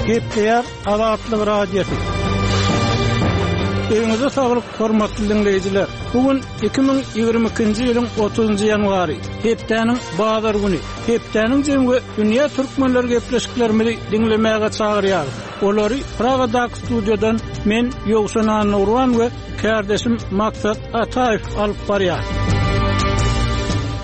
Gepleýär Azatlyk Radiosy. Öýüňize saglyk, hormatly diňleýjiler! Bu gün 2022-nji ýylyň 30-njy ýanwary, hepdäniň bazar güni. Hepdäniň jemi we dünýä türkmenleri gepleşiklerimizi diňlemäge çagyrýarys. Olary Pragadaky studiýadan men, Ýowşan Annagurban we kärdeşim Maksat Ataýew alyp barýar.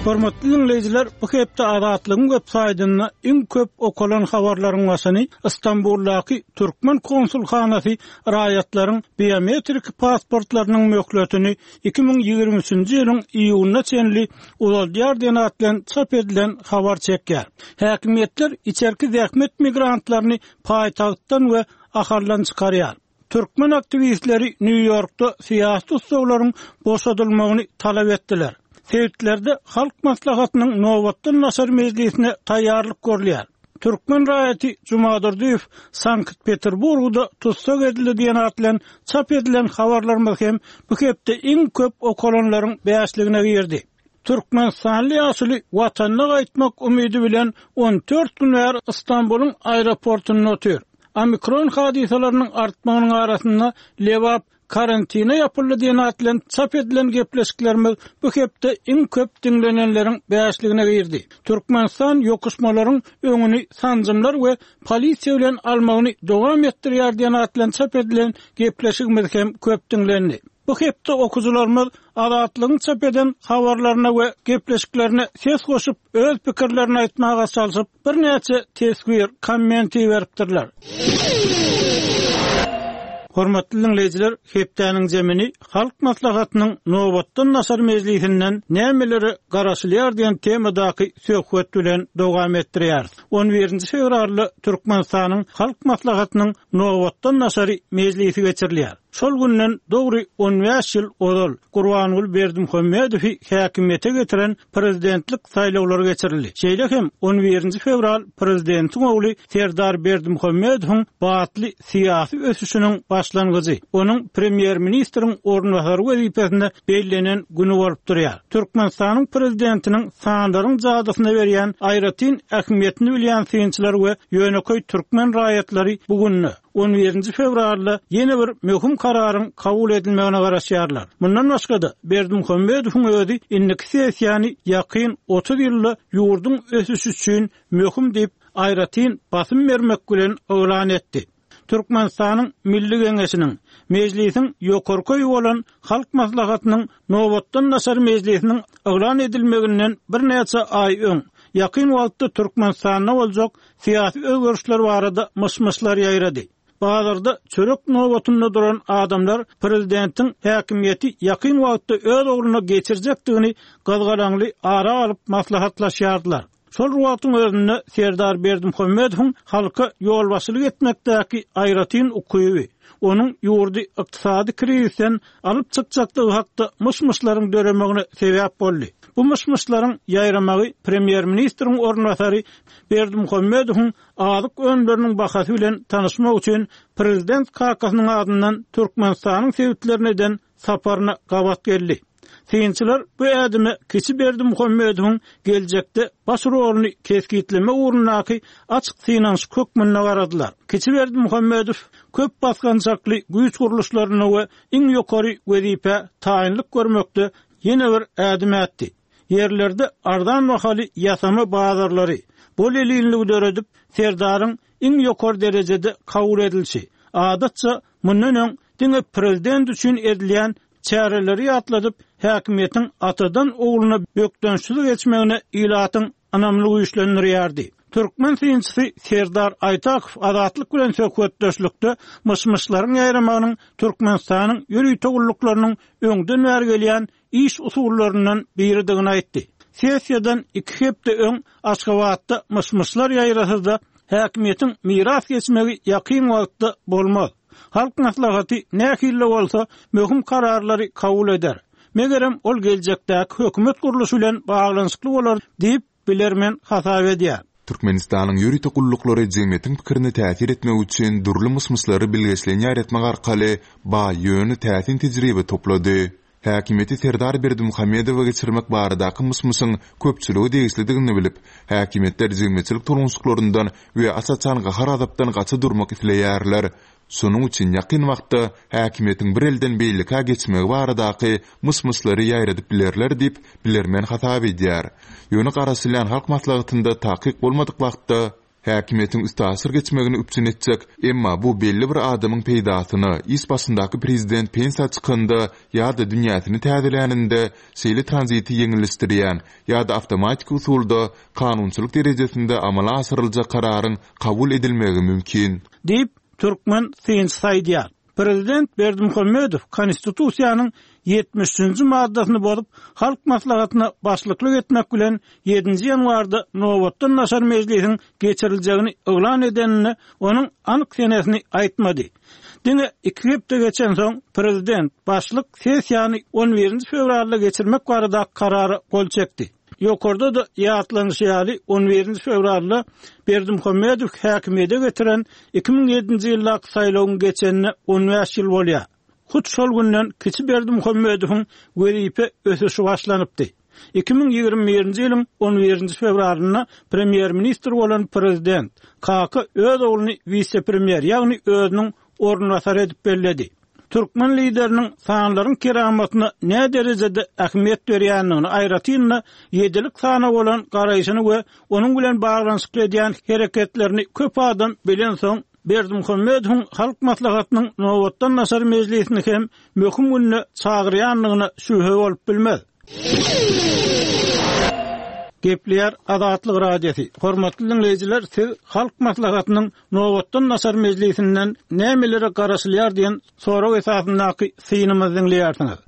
Hormatly diňleýjiler, bu hepde Azatlygyň web saýtynda iň köp okalan habarlaryň başyny Stambuldaky türkmen konsulhanasy raýatlaryň biometrik pasportlarynyň möhletini 2023-nji ýylyň iýunyna çenli uzaldýar diýen at bilen çap edilen habar çekýär. Häkimiýetler içerki zähmet migrantlaryny paýtagtdan we Ahaldan çykarýar. Türkmen aktiwistleri Nýu-Ýorkda syýasy tussaglaryň boşadylmagyny talap etdiler. Sebitlerde Halk Maslahatynyň nobatdan daşary mejlisine taýýarlyk görülýär. Türkmen raýaty Jumadurdyýew Sankt-Peterburgda tussag edildi diýen at bilen çap edilen habarlarymyz hem bu hepde iň köp okalanlaryň bäşligine girdi. Türkmenistanly ýaşuly Watanyna gaýtmak umydy bilen 14 gün bäri Stambulyň aeroportunda otyr. Omikron hadysalarynyň artmagynyň arasynda Lebap karantine ýapyldy diýen at bilen çap edilen gepleşiklerimiz bu hepde iň köp diňlenenleriň bäşligine girdi. Türkmenistan ýokuşmalaryň öňüni sanjymlar we polisiýa bilen almagyny dowam etdirýär diýen at bilen çap edilen gepleşigimiz hem köp diňlendi. Bu hepde okyjylarymyz Azatlygyň çap eden habarlaryna we gepleşiklerine ses goşup, öz pikirlerini aýtmaga çalşyp, birnäçe teswir, komment iberipdirler. Hormatly diňleýjiler, hepdäniň jemini Halk Maslahatynyň nobatdan daşary mejlisinden nämelere garaşylýar diýen temadaky söhbet bilen dowam etdirýäris. On birinji fewralda Türkmenistanyň Halk Maslahatynyň nobatdan daşary mejlisi geçirilýär. Şol günden dogry on bäş ýyl ozal Gurbanguly Berdimuhamedowy häkimiýete getiren prezidentlik saýlawlary geçirildi. Şeýle hem on birinji fewral prezidentiň ogly Serdar Berdimuhamedowyň batly syýasy ösüşiniň başlangyjy, onuň premýer-ministriň orunbasary wezipesine bellenen güni bolup durýar. Türkmenistanyň prezidentiniň sanlaryň jadysyna berýän aýratyn ähmiýetini bilýän synçylar we ýönekeý türkmen raýatlary bu günde, on birinji fewralda ýene bir möhüm kararyň kabul edilmegine garaşýarlar. Mundan başga-da, Berdimuhamedowyň özi indiki sessiýany ýakyn 30 ýylda ýurduň ösüşi üçin möhüm diýip, aýratyn basym bermek bilen yglan etdi. Türkmenistanyň Milli Geňeşiniň, Mejlisiň ýokarky öýi bolan Halk Maslahatynyň nobatdan daşary mejlisiniň yglan edilmeginden birnäçe aý öň, ýakyn wagtda Türkmenistanda boljak syýasy özgerişler barada myş-myşlar ýaýrady. Bazarda çörek nobatynda duran adamlar prezidentiň häkimiýeti ýakyn wagtda öz ogluna geçirjekdigini gyzgalaňly ara alyp maslahatlaşýardylar. Şol bir wagtyň özünde Serdar Berdimuhamedowyň halka ýolbaşçylyk etmekdäki aýratyn ukyby, onuň ýurdy ykdysady krizisden alyp çykjakdygy hakda myş-myşlaryň döremegine sebäp boldy. Bu myş-myşlaryň ýaýramagy premýer-ministriň orunbasary Berdimuhamedowyň azyk önümleriniň bahasy bilen tanyşmak üçin prezident kakasynyň adyndan Türkmenistanyň sebitlerine eden saparyna gabat geldi. Synçylar bu ädime kiçi Berdimuhamedowyň geljekde baş roluny kesgitlemek ugrundaky açyk synanyşyk hökmünde garadylar. Kiçi Berdimuhamedow köp basgançakly güýç gurluşlarynda we iň ýokary wezipä taýynlyk görmekde ýene bir ädim ätdi. Ýerlerde arzan bahaly ýasama bazarlary, bol-elinligi döredip, Serdaryň iň ýokary derejede kabul edilişi, adatça, mundan öň diňe prezident üçin edilýän çäreleri ýatladyp, häkimiýetiň atadan ogluna bökdençsiz geçmegine ilatyň ynamyny güýçlendirýärdi. Türkmen synçysy Serdar Aýtakow Azatlyk bilen söhbetdeşlikde myş-myşlaryň ýaýramagynyň Türkmenistanyň ýörite gulluklarynyň öňden bäri gelýän iş usullaryndan biridigini aýtdy. Sessiýadan iki hepde öň Aşgabatda myş-myşlar ýaýrasa-da, häkimiýetiň miras geçmegi ýakyn wagtda bolmaz. Halk Maslahaty nähili-de bolsa möhüm kararlary kabul eder. Megerem, ol geljekdäki hökümet gurluşy bilen baglanyşykly bolar diýip, bilermen hasap edýär. Türkmenistanyň ýörite gulluklary jemgyýetiň pikirine täsir etmek üçin dürli myş-myşlary bilgeşleýin ýaýratmak arkaly baý, ýöne täsin tejribe toplady. Häkimiýeti Serdar Berdimuhamedowa geçirmek baradaky myş-myşyň köpçülige degişlidigini bilip, häkimiýetler jemgyýetçilik tolgunyşyklaryndan we aç-açan gahar-gazapdan gaça durmak isleýärler. Şonuň üçin ýakyn wagtda häkimiýetiň bir elden beýlekä geçmegi baradaky myş-myşlary ýaýradyp bilerler diýip, bilermen hasap edýär. Ýöne garaşylýan Halk Maslahatynda takyk bolmadyk wagtda häkimiýetiň üstaşyr geçmegini üpjün etjek, emma bu belli bir adamyň peýdasyna, iş başyndaky prezident pensiýa çykanda ýa-da dünýäsini täzeläninde şeýle tranziti ýeňilleşdirýän ýa-da awtomatiki usulda kanunçylyk derejesinde amala aşyryljak kararyň kabul edilmegi mümkin. Diýip, türkmen synçysy aýdýar. Prezident Berdimuhamedow Konstitusiýanyň 73-nji maddasyny bozup, Halk Maslahatyna başlyklyk etmek bilen, ýedinji ýanwarda nobatdan daşary mejlisiň geçiriljegini yglan edeninde onuň anyk senesini aýtmady. Diňe iki hepde geçensoň, prezident başlyk sessiýany on birinji fewralda geçirmek baradaky karara gol çekdi. Ýokarda-da ýatlanyşy ýaly, on birinji fewralda Berdimuhamedow häkimiýete getiren 2007-nji ýyldaky saýlawyň geçenine on bäş ýyl bolýar. Hut şol günden kiçi Berdimuhamedowyň wezipe ösüşi başlanypdy. 2021-nji ýylyň on birinji fewralynda premýer-ministr bolan prezident Kaka öz ogluny wise-premýer, ýagny özüniň orunbasary edip belledi. Türkmen Lideriniň sanlaryň keramatyna näderejede ähmiýet berýändigini, aýratyn-da, ýedilik sana bolan garaýşyny we onuň bilen baglanyşykly edýän hereketlerini köp adam bilensoň, Berdimuhamedowyň Halk Maslahatynyň nobatdan daşary mejlisini hem möhüm günde çagyrýandygyna şübhe bolup bilmez. Gepleýär Azatlyk Radiosy. Hormatly diňleýjiler, siz Halk Maslahatynyň nobatdan daşary mejlisinden nämelere garaşylýar diýen sorag esasyndaky synymyzy diňleýärsiňiz.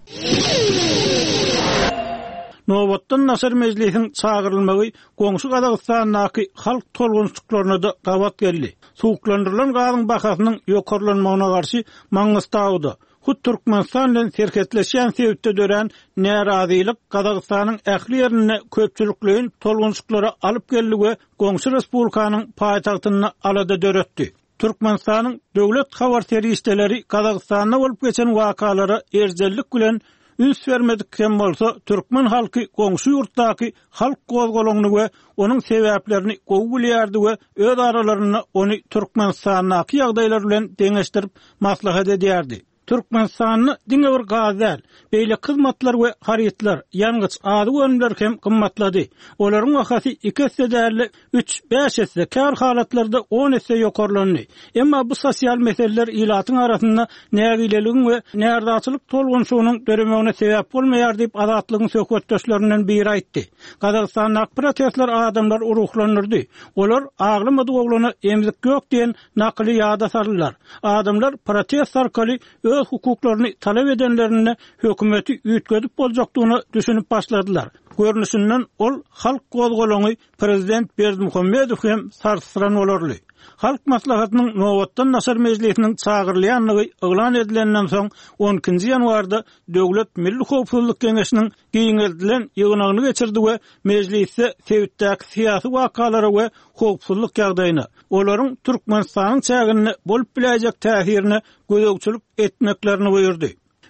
Nobatdan daşary mejlisiň çagyrylmagy goňşy Gazagystandaky halk tolgunyşyklaryna-da gabat geldi. Suwuklandyrylan gazyň bahasynyň ýokarlanmagyna garşy Maňgystauda, Hut Türkmenistan bilen serhetleşýän sebitde dörän närazylyk Gazagystanyň ähli ýerinde köpçülikleýin tolgunyşyklara alyp geldi we goňşy respublikanyň paýtagtynda alada döretdi. Türkmenistanyň döwlet habar serişdeleri Gazagystanda bolup geçen wakalara erjellik bilen üns bermedik hem bolsa, türkmen halky goňşy ýurtdaky halk gozgalaňyny we onuň sebäplerini gowy bilýärdi we öz aralarynda ony Türkmenistandaky ýagdaýlar bilen deňeşdirip maslahat edýärdi. Türkmenistanda diňe bir gaz däl, beýleki hyzmatlar we harytlar, ýangyç, azyk önümleri hem gymmatlady. Olaryň bahasy iki esse däl-de, üç, bäş esse, käbir halatlarda on esse ýokarlandy. Emma bu sosial meseleler ilatyň arasynda nägileligiň we närazyçylyk tolgunyşygynyň döremegine sebäp bolmaýar diýip, Azatlygyň söhbetdeşlerinden biri aýtdy. Gazagystandaky protestler adamlary ruhlandyrdy. Olar aglamadyk oglana emzik ýok diýen nakyly ýada saldylar. Adamlar protest arkaly öz hukuklaryny talap edenlerinde hökümeti üýtgedip boljakdygyna düşünip başladylar. Görnüşinden ol halk gozgalaňy prezident Berdimuhamedow hem sarsdyran bolarly. Halk Maslahatynyň nobatdan daşary mejlisiniň çagyrylýandygy yglan edilenden soň on ikinji ýanwarda Döwlet milli howpsuzlyk geňeşiniň giňeldilen ýygnagyny geçirdi we mejlisde sebitdäki syýasy wakalara we howpsuzlyk ýagdaýyna, olaryň Türkmenistanyň çäginde bolup biläýjek täsirine gözegçilik etmeklerini buýurdy.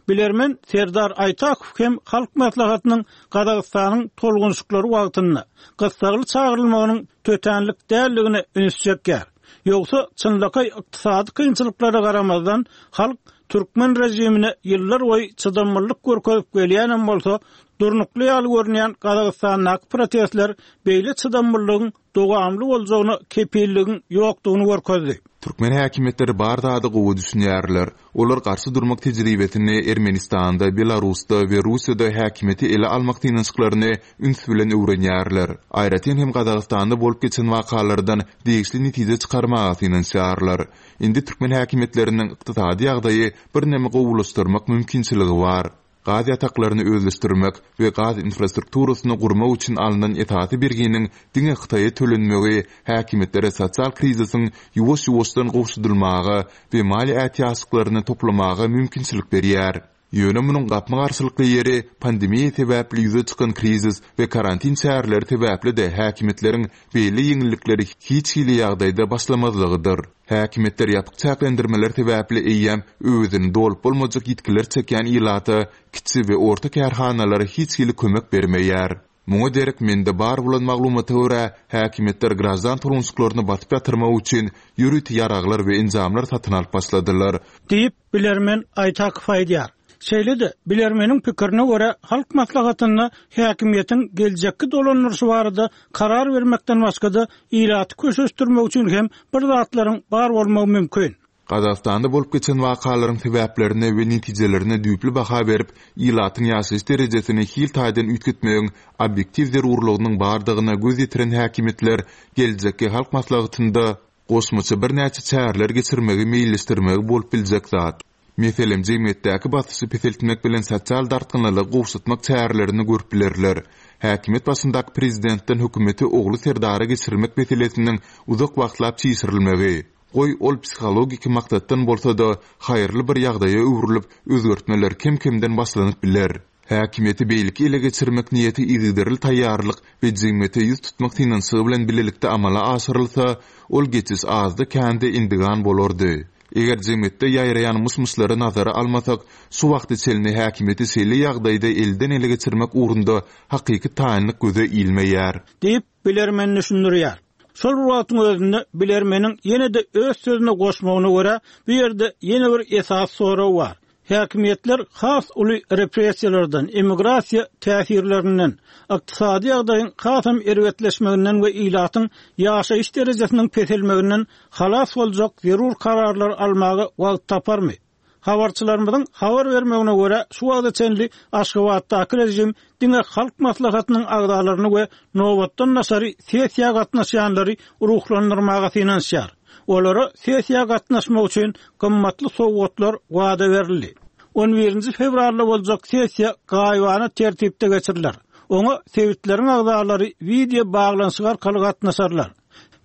Bilermen Serdar Aýtakow hem Halk Maslahatynyň Gazagystanyň tolgunyşyklary wagtynda gyssagly çagyrylmagynyň tötänlik däldigine üns çekýär. Ýogsa, çynlakaý ykdysady kynçylyklara garamazdan, halk türkmen režimine ýyllar boýy çydamlylyk görkezip gelýänem bolsa, durnukly ýaly görünýän Gazagystandaky protestler beýle çydamlylygyň dowamly boljagyna kepilligiň ýokdugyny görkezdi. Türkmen häkimiýetleri bar zada gowy düşünýärler. Olar garşy durmak tejribesini Ermenistanda, Belarusda we Russiýada häkimiýeti ele almak synanyşyklaryny üns bilen öwrenýärler. Aýratyn hem Gazagystanda bolup geçen wakalardan degişli netije çykarmaga synanyşýarlar. Indi türkmen häkimiýetleriniň ykdysady ýagdaýy birneme gowulaşdyrmak mümkinçiligi bar. Gaz ýataklaryny özleşdirmek we gaz infrastrukturasyny gurmak üçin alnan esasy berginiň diňe Hytaýa tölenmegi häkimiýetlere sosial krizisiň ýuwaş-ýuwaşdan gowşadylmaga we maliýe ätiýaçlyklaryny toplamaga mümkinçilik berýär. Ýöne munuň gapma-garşylykly ýeri pandemiýa sebäpli ýüze çykan krizis we karantin çäreleri sebäpli-de häkimiýetleriň beýle ýeňillikleri hiç hili ýagdaýda başlamazlygydyr. Häkimiýetler ýapyk çäklendirmeler sebäpli eýýäm öwezini dolup bolmajak ýitgiler çekýän ilata, kiçi we orta kärhanalara hiç hili kömek bermeýär. Muňa derek mende bar bolan maglumata görä, häkimiýetler graždan tolgunşyklaryny basyp ýatyrmak üçin ýörite ýaraglar we enjamlar satyn alyp başladylar. Diýip, bilermen Aýtakow aýdýar. Şeýle-de, bilermeniň pikirine görä, Halk Maslahatynda häkimiýetiň geljekki dolandyryşy barada karar bermekden başga-da, ilaty köşeşdirmek üçin hem bir zatlaryň bar bolmagy mümkin. Gazagystanda bolup geçen wakalaryň sebäplerine we netijelerine düýpli baha berip, ilatyň ýaşaýyş derejesini hil taýdan üýtgetmegiň obýektiw zerurlygynyň bardygyna göz ýetiren häkimiýetler geljekki Halk Maslahatynda goşmaça birnäçe çäreler geçirmegi meýilleşdirmegi bolup biljek zat. Meselem, jemgyýetdäki basyşy peseltmek bilen sosial dartgynlylygy gowşatmak çärelerini görüp bilerler. Häkimiýet başyndaky prezidentden hökümeti ogly Serdara geçirmek meselesiniň uzak wagtlap çişirilmegi, goý, ol psihologiki maksatdan bolsa-da, haýyrly bir ýagdaýa öwrülip, özgertmeler kem-kemden başlanyp biler. Häkimiýeti beýleki ele geçirmek niýeti yzygiderli taýýarlyk we jemgyýete ýüz tutmak synanyşygy bilen bilelikde amala aşyrylsa, ol geçiş azda-kände endigan bolardy. Eger jemgyýetde ýaýraýan myş-myşlary nazara almasak, şu wagta çenli häkimiýeti şeýle ýagdaýda elden-ele geçirmek ugrunda hakyky taýynlyk göze ilmeýär. Diýip, bilermen düşündirýär. Şol bir wagtyň özünde, bilermeniň ýene-de öz sözüne goşmagyna görä, bu ýerde ýene bir esasy sorag bar. Häkimiýetler has uly repressiýalardan, emigrasiýa täsirlerinden, ykdysady ýagdaýyň hasam erbetleşmeginden we ilatyň ýaşaýyş derejesiniň peselmeginden halas boljak zerur kararlary almaga wagt taparmy? Habarçylarymyzyň habar bermegine görä, şu wagta çenli Aşgabatdaky režim diňe Halk Maslahatynyň agzalaryny we nobatdan daşary sessiýa gatnaşýanlary ruhlandyrmaga synanyşýar. Olara sessiýa gatnaşmak üçin gymmatly sowgatlar wada berildi. On birinji fewralda boljak sessiýa gaýybana tertipde geçiriler. Oňa sebitleriň agzalary wideo baglanyşyk arkaly gatnaşarlar.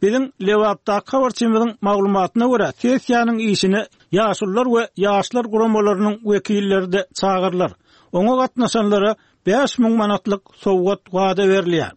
Biziň Lebapdaky habarçymyzyň maglumatyna görä, sessiýanyň işine Ýaşulular we ýaşlar guramalarynyň wekilleri-de çagyrylar. Oňa gatnaşanlara 5000 manatlyk sowgat wada berilýär.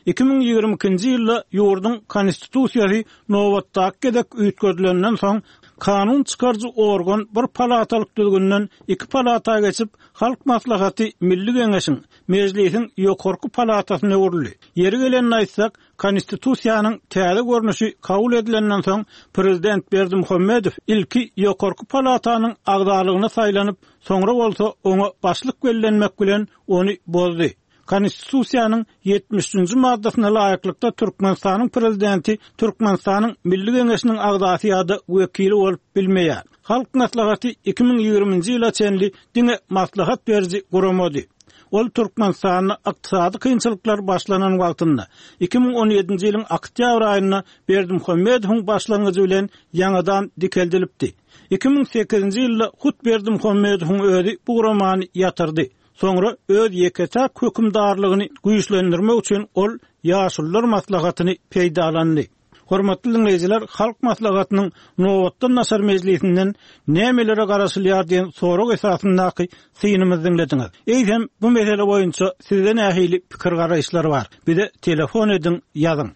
2022-nji ýylda ýurduň Konstitusiýasy nobatdaky gezek üýtgedilenden soň, kanun çykaryjy organ bir palatalyk düzgünden iki palata geçip, Halk Maslahaty Milli Geňeşiň, Mejlisiň ýokarky palatasyna öwrüldi. Ýeri gelende aýtsak, Konstitusiýanyň täze görnüşi kabul edilenden soň, prezident Berdimuhamedow ilki ýokarky palatanyň agzalygyna saýlanyp, soňra bolsa oňa başlyk bellenmek bilen ony bozdy. Konstitusiýanyň ýetmiş üçünji maddasyna laýyklykda Türkmenistanyň Prezidenti Türkmenistanyň Milli Geňeşiniň agzasy ýa-da wekili bolup bilmeýär. Halk Maslahaty 2020-nji ýyla çenli diňe maslahat beriji guramady. Ol Türkmenistanda ykdysady kynçylyklar başlanan wagtynda, 2017-nji ýylyň oktýabr aýynda Berdimuhamedowyň başlangyjy bilen ýaňadan dikeldilipdi. 2008-nji ýylda hut Berdimuhamedowyň özi bu guramany ýatyrdy. Soňra öz ýeke-täk hökümdarlygyny güýçlendirmek üçin ol Ýaşulular maslahatyny peýdalandy. Hormatly diňleýjiler, Halk Maslahatynyň nobatdan daşary mejlisinden nämelere garaşylýar diýen sorag esasyndaky synymyzy diňlediňiz. Eýsem, bu mesele boýunça sizde nähili pikir-garaýyşlar bar? Bize telefon ediň, ýazyň.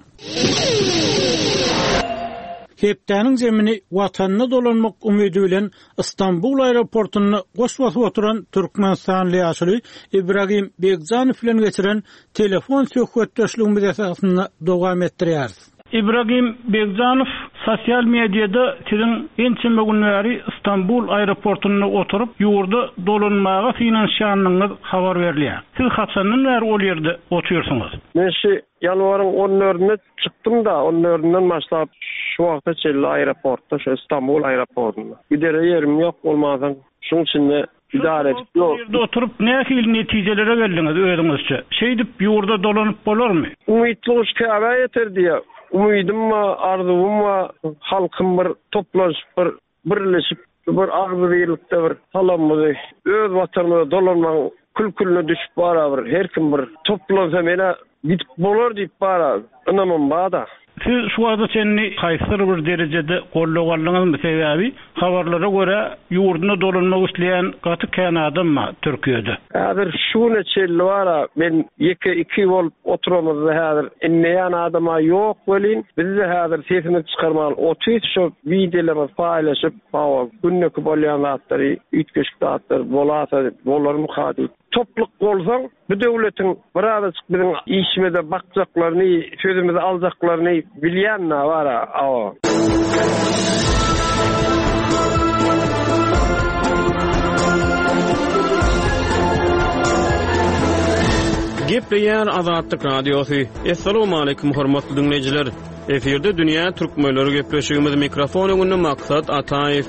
Hepdäniň zemini Watanyna dolanmak umydy bilen Stambul aeroportynda goş basyp oturan türkmenistanly ýaşuly Ibragim Begjanow bilen geçiren telefon söhbetdeşligimiz esasynda dowam etdirýäris. Ibragim Begjanow, sosial mediada siziň ençeme gün bäri Stambul aeroportynda oturyp, ýurda dolanmaga synanyşýandygyňyz habar berilýär. Siz haçandan bäri ol ýerde otyrsyňyz? Men şu ýanwaryň on dördünde çykdym-da, on dördünden başlap şu wagta çenli aeroportda, şu Stambul aeroportynda. Gidere ýerim ýok bolmansoň, şuň içinde Idare edip ýok. Ýerde oturyp nähili netijelere geldiňiz özüňizçe? Şeýdip ýurda dolanyp bolarmy? Umytly guş Käbä ýeter diýýär. Umydym bar, arzuwym bar, halkym bir toplanyşyp bir birleşip bir agzybirlikde bir salamymyzy öz watanymyza dolanmagyň kül-külüne düşüp bara bir her kim bir toplansa menä. Gidip bolar diýip bara ynamym bada. Siz şu wagta çenli haýsydyr bir derejede goldaw aldyňyzmy? Sebäbi habarlara görä ýurduna dolanmak isleýän gaty kän adam bar Türkiýede. Häzir şu güne çenli bara men ýeke iki bolup oturamyzda häzir inleýän adama ýok welin bizde häzir sesimizi çykarman otyrys şo wideolarymyzy paýlaşyp hawa gündeki bolýan zatlary üýtgeşik zatlar bolasa bolarmyka diýip. Topluk bolsaň, bu döwletiň birazajyk biziň işimize bakjaklaryny, sözümizi aljaklaryny bilýän-dä bar-a, awa. Gepleýär Azatlyk Radiosy. Assalamualaikum hormatly diňleýjiler. Efirde dünýä türkmenleri gepleşigimiz mikrofon öňünde Maksat Ataýew.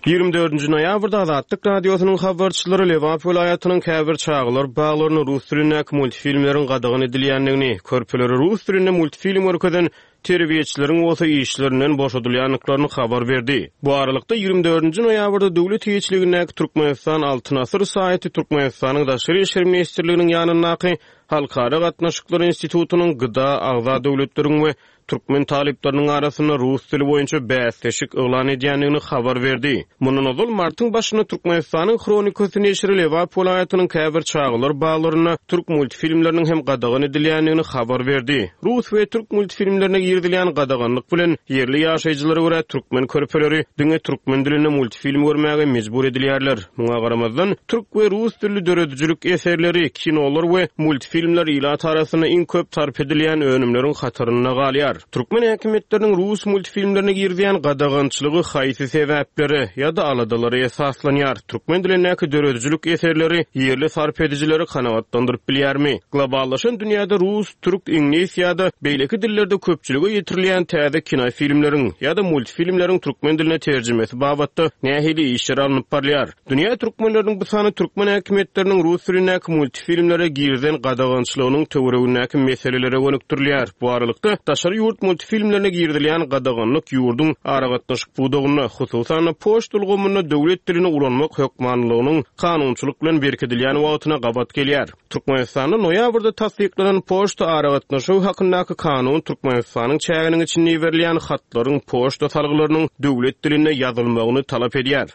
24 noýabrda Azatlyk Radiosynyň habarçylary Lebap welaýatynyň käbir çagalar baglarynda rus dilindäki multfilmleriň gadagan edilýändigini, körpelere rus dilinde multfilm görkezen terbiýeçileriň bolsa işlerinden boşadylýandyklaryny habar berdi. Bu aralykda, 24 nji noýabrda döwlet eýeçiligindäki Türkmenistan Altyn asyr saýty Türkmenistanyň Daşary işler ministrliginiň ýanyndaky Halkara gatnaşyklary institutynyň GDA agza döwletleriň we türkmen talyplarynyň arasynda rus dili boýunça bäsleşik yglan edýändigini habar berdi. Mundan ozal, martyň başynda Türkmenistanyň Hronikasy neşiri Lebap welaýatynyň käbir çagalar baglarynda türk multfilmleriniň hem gadagan edilýändigini habar berdi. Rus we türk multfilmlerine girizilýän gadaganlyk bilen, ýerli ýaşaýjylara görä, türkmen körpeleri diňe türkmen dilinde multfilm görmäge mejbur edilýärler. Muňa garamazdan, türk we rus dilli döredijilik eserleri, kinolar we multfilmler ilat arasynda iň köp sarp edilýän önümleriň hatarynda galýar. Türkmen häkimiýetleriniň rus multfilmlerine girizýän gadagançylygy haýsy sebäplere ýa-da aladalara esaslanýar? Türkmen dilindäki döredijilik eserleri ýerli sarp edijileri kanagatlandyryp bilýärmi? Globallaşan dünýäde rus, türk, iňlis ýa-da beýleki dillerde köpçülige ýetirilýän täze kinofilmleriň ýa-da multfilmleriň türkmen diline terjimesi babatda nähili işler alnyp barylýar? Dünýä türkmenleriniň bu sany türkmen häkimiýetleriniň rus dilindäki multfilmlere girizen gadagançylygynyň töweregindäki meselelere gönükdirilýär. Bu aralykda, daşary ýurt multfilmlerine girizilýän gadaganlyk ýurduň aragatnaşyk pudagynda, hususan-da, poçta ulgamynda döwlet dilini ulanmak hökmanylygynyň kanunçylyk bilen berkidilýän wagtyna gabat gelýär. Türkmenistanda noýabrda tassyklanan Poçta aragatnaşygy hakyndaky kanun Türkmenistanyň çäginiň içinde iberilýän hatlaryň poçta salgylarynyň döwlet dilinde ýazylmagyny talap edýär.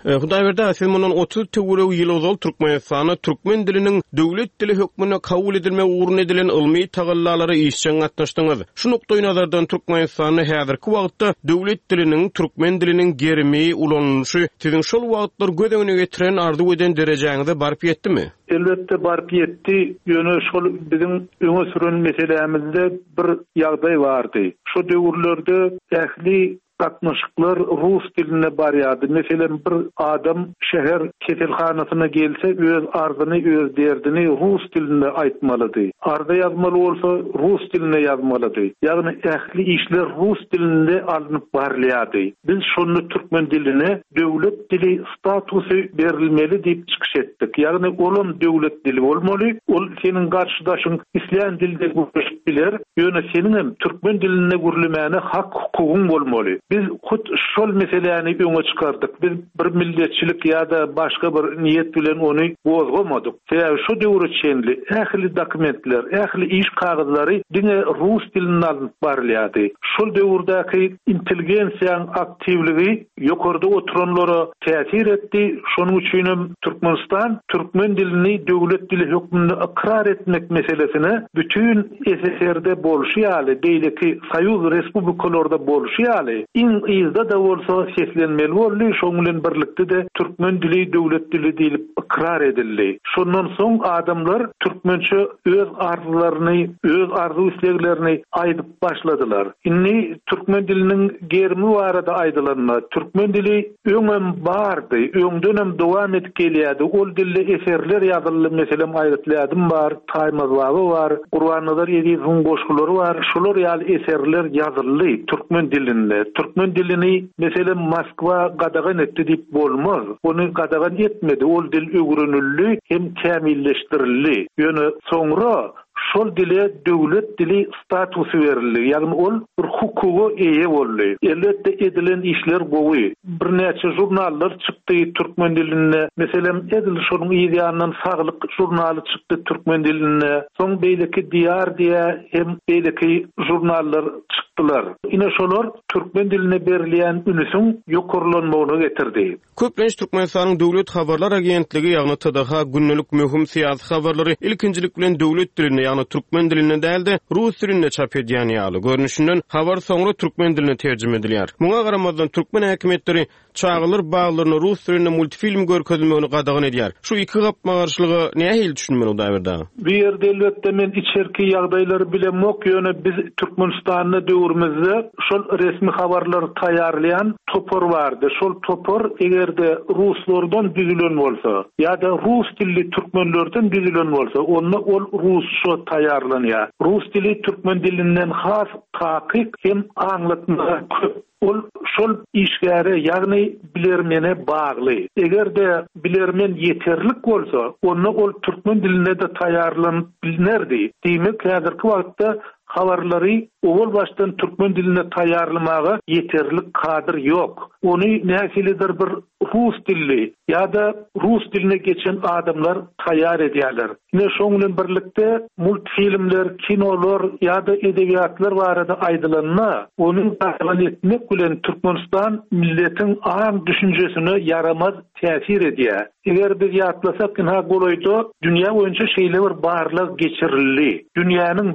Hudaýberdi aga, siz mundan 30 töweregi ýyl ozal Türkmenistanda türkmen diliniň döwlet dili hökmünde kabul edilmegi ugrunda edilen ylmy tagallalara işjeň gatnaşdyňyz. Şu nukdaýnazardan Türkmenistanda häzirki wagtda döwlet diliniň, türkmen diliniň gerimi, ulanylyşy siziň şol wagtlar göz öňüne getiren, arzuw eden derejäňize baryp ýetdimi? Elbetde baryp ýetdi, ýöne şol biziň öňe süren meselämizde bir ýagdaý bardy. Şo döwürlerde ähli Gatnaşyklar rus dilinde barýardy. Meselem, bir adam şäher keselhanasyna gelse, öz arzyny, öz derdini rus dilinde aýtmalydy. Arza ýazmaly bolsa, rus dilinde ýazmalydy. Ýagny ähli işler rus dilinde alnyp barylýardy. Biz şonda türkmen diline döwlet dili statusy berilmeli diýip çykyş etdik. Ýagny olam döwlet dili bolmaly, ol seniň garşydaşyň islän dilde gürleşip biler, ýöne seniňem türkmen dilinde gürlemäne hak-hukugyň bolmaly. Biz hut şol meseläni öňe çykardyk. Biz bir milletçilik ýa-da başga bir niýet bilen ony gozgamadyk. Sebäbi şo döwre çenli ähli dokumentler, ähli iş kagyzlary diňe rus dilinde alnyp barylýardy. Şol döwürdäki intelligensiýaň aktiwligi ýokarda oturanlara täsir etdi, şonuň üçinem Türkmenistan türkmen dilini döwlet dili hökmünde ykrar etmek meselesine bütin SSR-de bolşy ýaly, beýleki soýuz respublikalarda bolşy ýaly, iň yzda-da bolsa seslenmeli boldy, şonuň bilen birlikde-de türkmen dili döwlet dili diýlip ykrar edildi. Şondan soň adamlar türkmençe öz arzlaryny, öz arzuw-isleglerini aýdyp başladylar. Indi türkmen diliniň gerimi barada aýdylanda, türkmen dili öňem bardy, öňdenem dowam edip gelýärdi. Ol dilde eserler ýazyldy, meselem, Aýgytly ädim bar, Taýmaz baba bar, Gurbannazar Ezizowyň goşgulary bar, şular ýaly eserler ýazyldy türkmen dilinde. Türkmen dilini, meselem, Moskwa gadagan etdi diýip bolmaz. Ony gadagan etmedi, ol dil öwrenildi hem kämilleşdirildi. Ýöne soňra. Şol dile döwlet dili statusy berildi, ýagny ol bir hukuga eýe boldy. Elbetde edilen işler gowy. Birnäçe žurnallar çykdy türkmen dilinde. Meselem, edil şonuň yz ýanyndan Saglyk žurnaly çykdy türkmen dilinde. Soň beýleki Diýar diýä hem beýleki žurnallar çykdylar. Ine şolar türkmen diline berilýän ünüsiň ýokarlanmagyna getirdi. Köplenç Türkmenistanyň Döwlet habarlar agentligi, ýagny TDH gündelik möhüm syýasy habarlary ilkinjilik bilen döwlet dilinde, ýagny türkmen dilinde däl-de, rus dilinde çap edýän ýaly. Görnüşinden, habar soňra türkmen diline terjime edilýär. Muňa garamazdan, türkmen häkimiýetleri çagalar baglarynda rus dilinde multfilm görkezilmegini gadagan edýär. Şu iki gapma-garşylyga nähili düşünmeli, Hudaýberdi aga? Bu ýerde elbetde men içerki ýagdaýlary bilemok, ýöne biz Türkmenistanda döwrümizde şol resmi habarlary taýýarlaýan topar bardy. Şol topar eger-de ruslardan düzülen bolsa ýa-da rus dilli türkmenlerden düzülen bolsa, onda ol rusça taýýarlanýar. Rus dili türkmen dilinden has takyk hem aňlatmalar köp. Ol şol işgäre, ýagny bilermene bagly. Eger-de bilermen ýeterlik bolsa, onda ol türkmen dilinde-de taýýarlanyp bilnerdi. Diýmek, häzirki wagtda habarlary owal başdan türkmen dilinde taýýarlamaga ýeterlik kadr ýok. Ony nähilidir bir rus dilli ýa-da rus diline geçen adamlar taýýar edýärler. Ine, şoň bilen birlikde multfilmler, kinolar ýa-da edebiýatlar barada aýdylanda, ony gadagan etmek bilen Türkmenistan milletiň aň-düşünjesine ýaramaz täsir edýär. Eger biz ýatlasak, ynha golaýda dünýä boýunça şeýle bir barlag geçirildi. Dünýäniň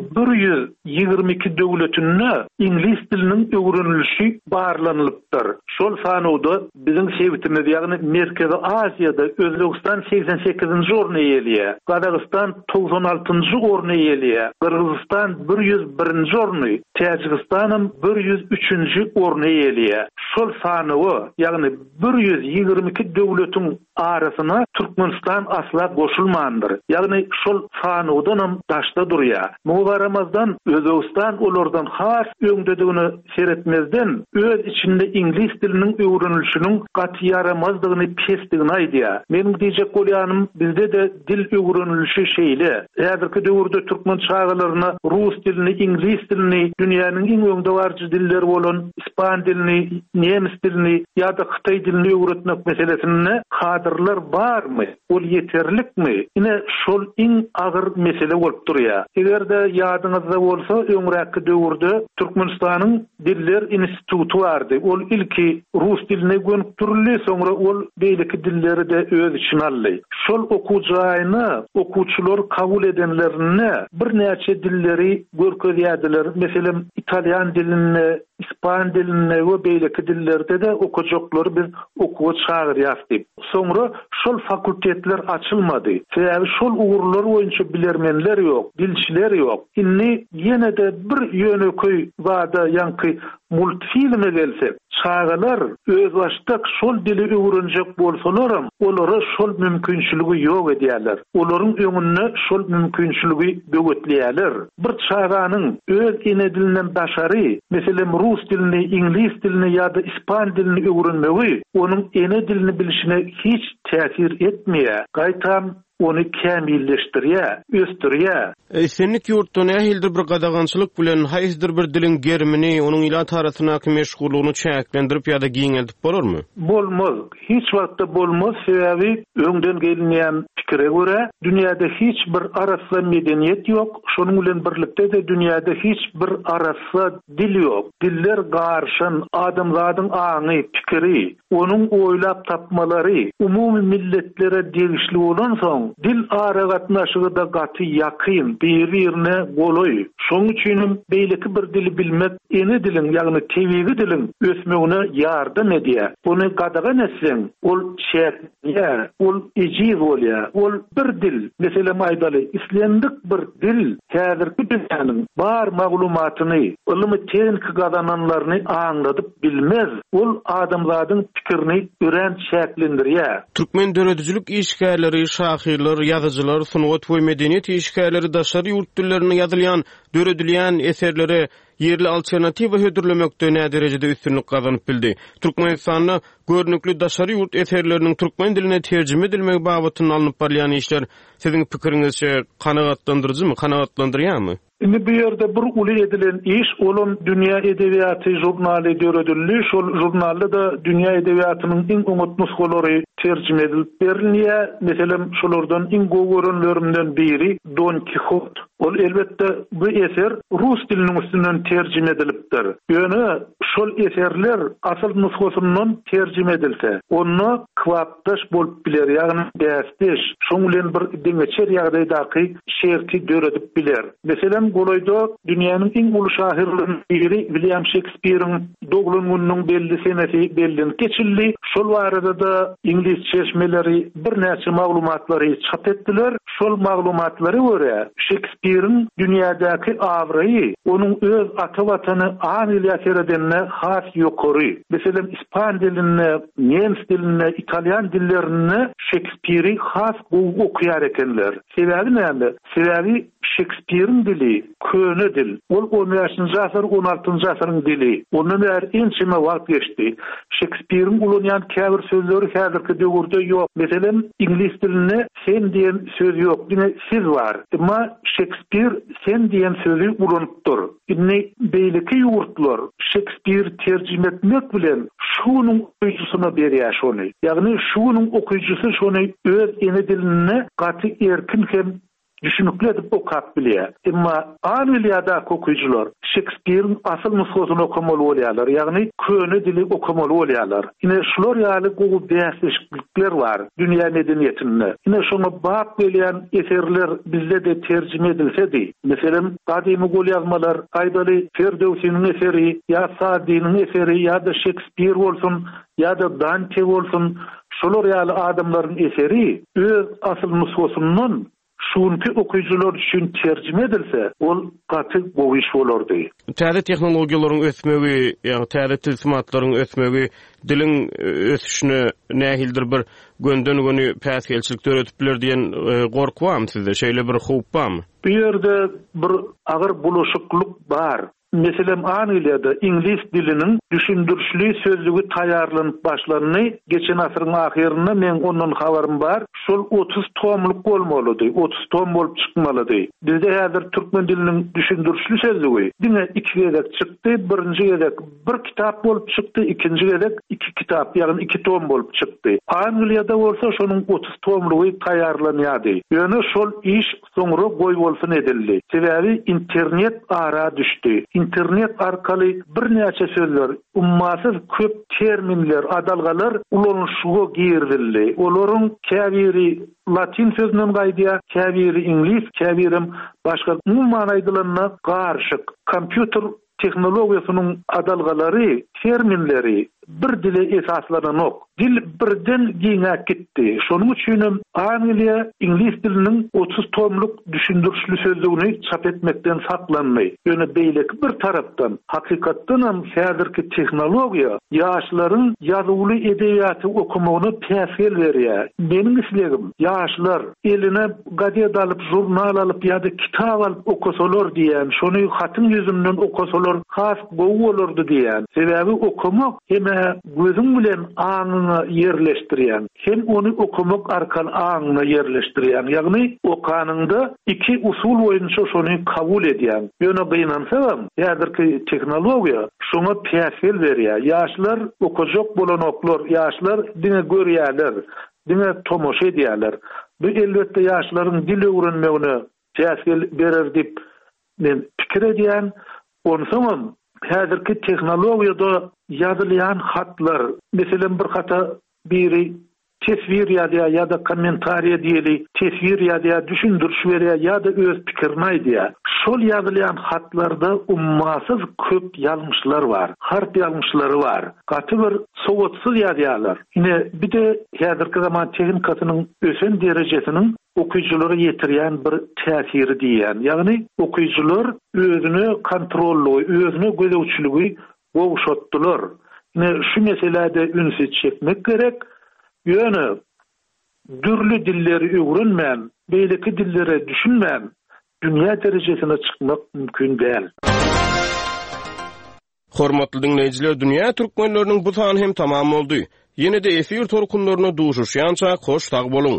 122 döwletinde iňlis diliniň öwrenilişi barlanylypdyr. Şol sanawda Biziň sebitimiz, ýagny Merkezi Aziýada Özbegistan segsen sekizinji orny eýeleýär, Gazagystan togsan altynjy orny eýeleýär, Gyrgyzystan bir 101-nji orny, Täjigistanam bir 103-nji orny eýeleýär. Şol sanawa, ýagny 122 döwletiň arasyna Türkmenistan asla goşulmandyr. Ýagny şol sanawdanam daşda durýar. Muňa garamazdan, Özbegistan olardan has öňdedigine seretmezden, öz içinde iňlis diliniň öwrenilişiniň gaty ýaramazdygyny, pesdigini aýdýar. Meniň diýjek bolýanym, bizde-de dil öwrenilişi şeýle. Häzirki döwürde türkmen çagalaryna rus dilini, iňlis dilini, dünýäniň iň öňdebaryjy dilleri bolan ispan dilini, nemes dilini ýa-da hytaý dilini öwretmek meselesinde kadrlar barmy? Ol ýeterlikmi? Ine, şol iň agyr mesele bolup durýar. Eger-de ýadyňyzda bolsa, öňräkki döwürde Türkmenistanyň Diller instituty bardy. Ol ilki rus diline gönükdirildi, soňra ol beýleki dilleri-de öz içine aldy. Şol okuw jaýyna okuwçylary kabul edenlerinde birnäçe dilleri görkezýärdiler. Meselem, italýan dilinde, ispan dilinde we beýleki dillerde-de okajaklary biz okuwa çagyrýas diýip. Soňra şol fakultetler açylmady. Sebäbi şol ugurlar boýunça bilermenler ýok, dilçiler ýok. Indi ýene-de bir ýönekeý zada ýaňky multfilme gelsek, çagalar özbaşdak şol dili öwrenjek bolsalaram, olara şol mümkinçiligi ýok edýärler. Olaryň öňünde şol mümkinçiligi böwetleýärler. Bir çaganyň öz ene dilinden daşary, meselem, rus dilini, iňlis dilini ýa-da ispan dilini öwrenmegi onuň ene dilini bilşine hiç täsir etmeýär, gaýtam ony kämilleşdirýär, ösdürýär. Islendik ýurtda nähilidir bir gadagançylyk bilen haýsydyr bir diliň gerimini, onuň ilat arasyndaky meşhurlygyny çäklendirip ýa-da giňeldip bolarmy? Bolmaz. Hiç wagtda bolmaz, sebäbi öňden gelinýän pikire görä, dünýäde hiç bir arassa medeniýet ýok, şonuň bilen birlikde-de dünýäde hiç bir arassa dil ýok. Diller garyşan, adamzadyň aňy, pikiri, onuň oýlap tapmalary umumy milletlere degişli bolansoň, dil aragatnaşygy-da gaty ýakyn, biri-birine golaý. Şonuň üçinem beýleki bir dili bilmek ene diliň, ýagny tebigy diliň ösmegine ýardam edýär. Ony gadagan etseň, ol çäklenýär, ol ejiz bolýar. Ol bir dil, meselem aýdaly, islendik bir dil häzirki dünýäniň bar maglumatyny, ylmy-tehniki gazananlaryny aňladyp bilmez. Ol adamzadyň pikirini örän çäklendirýär. Türkmen döredijilik işgärleri, şahyrlar, ýazyjylar, sungat we medeniýet işgärleri daşary ýurt dillerinde ýazylýan, döredilýän eserlere. Ýerli alternatiwa hödürlemekde näderejede üstünlik gazanyp bildi? Türkmenistanda görnükli daşary ýurt eserleriniň türkmen diline terjime edilmegi babatynda alnyp barylýan işler, siziň pikiriňizçe, kanagatlandyryjymy, kanagatlandyrýarmy? Indi bu ýerde bir uly edilen iş, olam Dünýä edebiýaty žurnaly döredildi. Şol žurnalda-da dünýä edebiýatynyň iň oňat nusgalary terjime edilip berilýär. Meselem, şolardan iň gowy görenlerimden biri Don Kihot. Ol elbetde bu eser rus diliniň üstünden terjime edilipdir. Ýöne şol eserler asyl nusgasyndan terjime edilse, onda kybapdaş bolup biler, ýagny bäsdeş, şoň bilen bir deňeçer ýagdaýdaky şerti döredip biler. Meselem, golaýda dünýäniň iň uly şahyrlarynyň biri Wilýam Şekspiriň doglan gününiň belli senesi bellenip geçildi. Şol barada-da iňlis çeşmeleri birnäçe maglumatlary çap etdiler. Şol maglumatlara görä, Şekspiriň dünýädäki abraýy onuň öz ata watany Angliýa seredende has ýokary. Meselem, ispan dilinde, nemes dilinde, italýan dillerinde Şekspiri has gowy okaýar ekenler. Sebäbi näme? Sebäbi Şekspiriň dili köne dil. Ol on bäşinji asyr, on altynjy asyryň dili. Ondan bäri ençeme wagt geçdi. Şekspiriň ulanýan käbir sözleri häzirki döwürde ýok. Meselem, iňlis dilinde sen diýen söz ýok, diňe siz bar. Emma Şekspir sen diýen sözi ulanypdyr. Indi beýleki ýurtlar Şekspiri terjime etmek bilen şu günüň okyjysyna berýär şony. Ýagny şu günüň okyjysy şony öz ene dilinde gaty erkin hem düşünikli edip okap bilýär. Emma Angliýadaky okyjylar Şekspiriň asyl nusgasyny okamaly bolýarlar, ýagny köne dili okamaly bolýarlar. Ine, şular ýaly gowy bäsleşiklikler bar dünýä medeniýetinde. Ine, şoňa bap gelýän eserler bizde-de terjime edilsedi. Meselem, gadymy golýazmalar, aýdaly, Ferdöwsiniň eseri ýa Saadiniň eseri ýa-da Şekspir bolsun, ýa-da Dante bolsun, şolar ýaly adamlaryň eseri öz asyl nusgasyndan şu günki okyjylar üçin terjime edilse, ol gaty gowy iş bolardy. Täze tehnologiýalaryň ösmegi, ýagny täze tilsimatlaryň ösmegi diliň ösüşine nähilidir bir gönden-göni päsgelçilik döredip biler diýen gorky barmy sizde? Şeýle bir howp barmy? Bu ýerde bir agyr bulaşyklyk bar. Meselem, Angliýada iňlis diliniň düşündirişli sözlügi taýýarlanyp başlandy, geçen asyryň ahyrynda, meň ondan habarym bar, şol 30 tomluk bolmalydy, 30 tom bolup çykmalydy. Bizde häzir türkmen diliniň düşündirişli sözlügi diňe iki gezek çykdy, birinji gezek bir kitap bolup çykdy, ikinji gezek iki kitap, ýagny iki tom bolup çykdy. Angliýada bolsa şonuň 30 tomlugy taýýarlanýardy. Ýöne şol iş Soňra goýbolsun edildi. Sebäbi internet ara düşdi. Internet arkaly birnäçe sözler, ummasyz köp terminler, adalgalar ulanyşyga girizildi. Olaryň käbiri latyn sözünden gaýdýar, käbiri iňlis, käbirem başga. Umuman aýdylanda, garyşyk. Kompýuter tehnologiýasynyň adalgalary, terminleri bir dile esaslananok. Dil birden giňäp gitdi. Şonuň üçinem Angliýa iňlis diliniň 30 tomluk düşündirişli sözlügini çap etmekden saklandy. Ýöne beýleki bir tarapdan, hakykatdanam häzirki tehnologiýa ýaşlaryň ýazuwly edebiýaty okamagyna päsgel berýär. Meniň islegim, ýaşlar eline Gazet alyp, žurnal alyp ýa-da kitap alyp okasalar diýýän, şony hatyň ýüzünden okasalar has gowy bolardy diýýän. Sebäbi okamak hem-ä gözüň bilen aňyňa ýerleşdirýäň, hem ony okamak arkaly aňyňa ýerleşdirýäň. Ýagny okanyňda iki usul boýunça şony kabul edýäň. Ýöne gynansagam, häzirki tehnologiýa şoňa päsgel berýär. Ýaşlar okajak bolanoklar, ýaşlar diňe görýärler. Diňe tomaşa edýärler. Bu elbetde ýaşlaryň dil öwrenmegine päsgel berer diýip men pikir edýän. Onsoňam häzirki tehnologiýada ýazylýan hatlar, meselem bir hata biri teswir ýazýar ýa-da kommentariýa diýeli, teswir ýazýar, düşündiriş berýär ýa-da öz pikirini aýdýar. Şol ýazylýan hatlarda ummasyz köp ýalňyşlar bar, harp ýalňyşlary bar. Gaty bir sowatsyz ýazýarlar. Ine, bir-de häzirki zaman tehnikasynyň ösen derejesiniň okyjylara ýetirýän bir täsiri diýýän. Ýagny okyjylar özüne kontrollygy, özüne gözegçiligi gowşatdylar. Ine, şu meselä-de ünsi çekmek gerek. Ýöne dürli dilleri öwrenmän, beýleki dillere düşünmän, dünýä derejesine çykmak mümkin däl. Hormatly diňleýjiler, Dünýä türkmenleriniň bu sany hem tamam boldy. Ýene-de efir tolkunlarynda duşuşýançak hoş sag boluň!